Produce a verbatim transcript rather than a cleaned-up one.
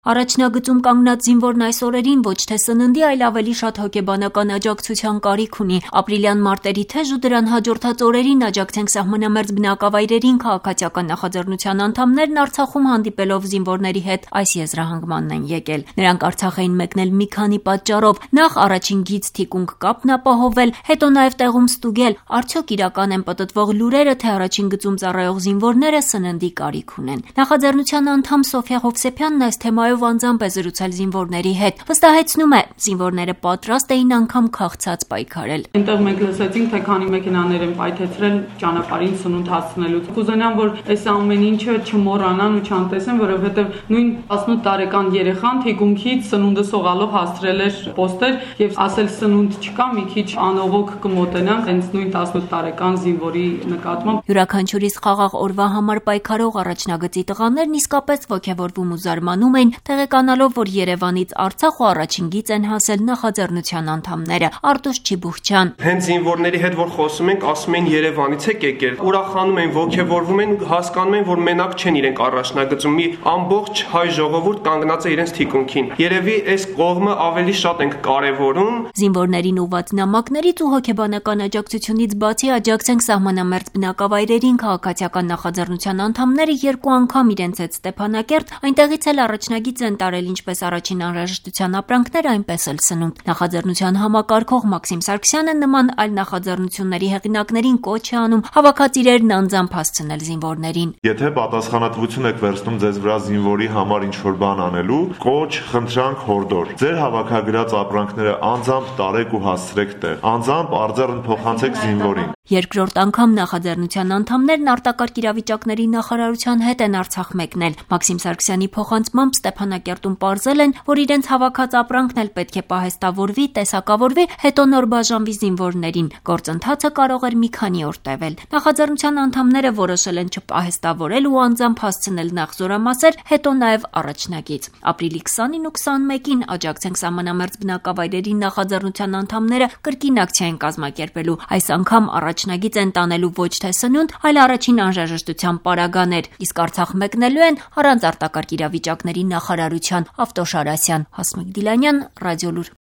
Առաջնագծում կանգնած զինվորն այս օրերին ոչ թե սննդի, այլ ավելի շատ հոգեբանական աջակցության կարիք ունի։ Ապրիլյան մարտերի թեժ ու դրան հաջորդած օրերին «Աջակցենք սահմանամերձ բնակավայրերին» քաղաքացիական նախաձեռնության անդամներն Արցախում հանդիպելով զինվորների հետ այս եզրահանգմանն են եկել։ Նրանք Արցախ էին մեկնել մի քանի պատճառով. նախ առաջին գիծ թիկունք կապն ապահովել, հետո նաև տեղում ստուգել, արդյոք իրական են պտտվող լուրերը, թե առաջին գծում ծառայող զինվորները սննդի կարիք ունեն։ Նախաձեռնության անդամ Սոֆիա Հովսեփյանն այս թեմայով անձամբ է զրուցել զինվորների հետ։ Վստահեցնում է, զինվորները պատրաստ էին անգամ քաղցած պայքարել։ Այնտեղ մենք լսեցինք, թե քանի մեքենաներ են պայթեցրել ճանապարհին սնունդ հասցնելու։ Կուզենամ, որ այս ամեն ինչը չմոռանան ու չանտեսեն, որովհետև նույն տասնութ տարեկան երեխան թիկունքից սնունդը սողալով հասցրել էր պոստեր եւ ասել սնունդ չկա, մի քիչ անողոք կմոտենանք հենց նույն տասնութ տարեկան զինվորի նկատմամբ։ Յուրաքանչյուրիս խաղաղ օրվա համար պայքարող առաջնագծի տղաներն իսկապես ոգևորվում ու զարմանում էին, տեղեկանալով, որ Երևանից Արցախ ու առաջին գիծ են հասել նախաձեռնության անդամները։ Արտուշ Չիբուխչյան. Հենց զինվորների հետ որ խոսում ենք, ասում են Երևանից եք եկել, ուրախանում են, ոգևորվում են ու հասկանում են, որ մենակ չեն իրենք առաջնագծում, մի ամբողջ հայ ժողովուրդ կանգնած է իրենց թիկունքին։ Երևի այս կողմը ավելի շատ ենք կարևորում։ Զինվորներին ուղղված նամակներից ու հոգեբանական աջակցությունից բացի «Աջակցենք սահմանամերձ բնակավայրերին» քաղաքացիական նախաձեռնության անդամները երկու անգամ իրենց հետ Ստեփանակերտ, այնտեղից էլ առաջնագիծ են տարել ինչպես առաջին անհրաժեշտության ապրանքներ, այնպես էլ սնունդ։ Նախաձեռնության համակարգող Մաքսիմ Սարգսյանը նման այլ նախաձեռնությունների հեղինակներին կոչ է անում հավաքած իրերն անձամբ հասցնել զինվորներին։ Եթե պատասխանատվություն եք վերցնում ձեզ վրա զինվորի համար ինչ-որ բան անելու, կոչ, խնդրանք, հորդոր։ Ձեր հավաքագրած ապրանքները անձամբ տարեք ու հասցրեք տեղ։ Անձամբ արձառն փոխանցեք զինվորին։ Երկրորդ անգամ նախաձեռնության անդամներն արտակարգ իրավիճակների նախարարության հետ են Արցախ մեկնել։ Մաքսիմ Սարգսյանի փոխանցմամբ Ստեփանակերտում պարզել են, որ իրենց հավաքած ապրանքն էլ պետք է պահեստավորվի, տեսակավորվի, հետո նոր բաժանվի զինվորներին։ Գործընթացը կարող էր մի քանի օր տևել։ Նախաձեռնության անդամները որոշել են չպահեստավորել ու անձամբ հասցնել նախ զորամասեր, հետո նաև առաջնագիծ։ Ապրիլի քսանին ու քսանմեկին «Աջակցենք սահմանամերձ բնակավայրերին» նախաձեռնության անդամները կրկին ակցիա են կազմակերպելու։ Այս անգամ առաջնագիծ են տանելու ոչ թե սնունդ, այլ առաջին անհրաժեշտության պարագաներ, իսկ Արցախ մեկնելու են առանց արտակարգ իրավիճակների նախարարության։ Ավտոշար Ասյան, Հասմիկ Դիլանյան, Ռադիոլուր։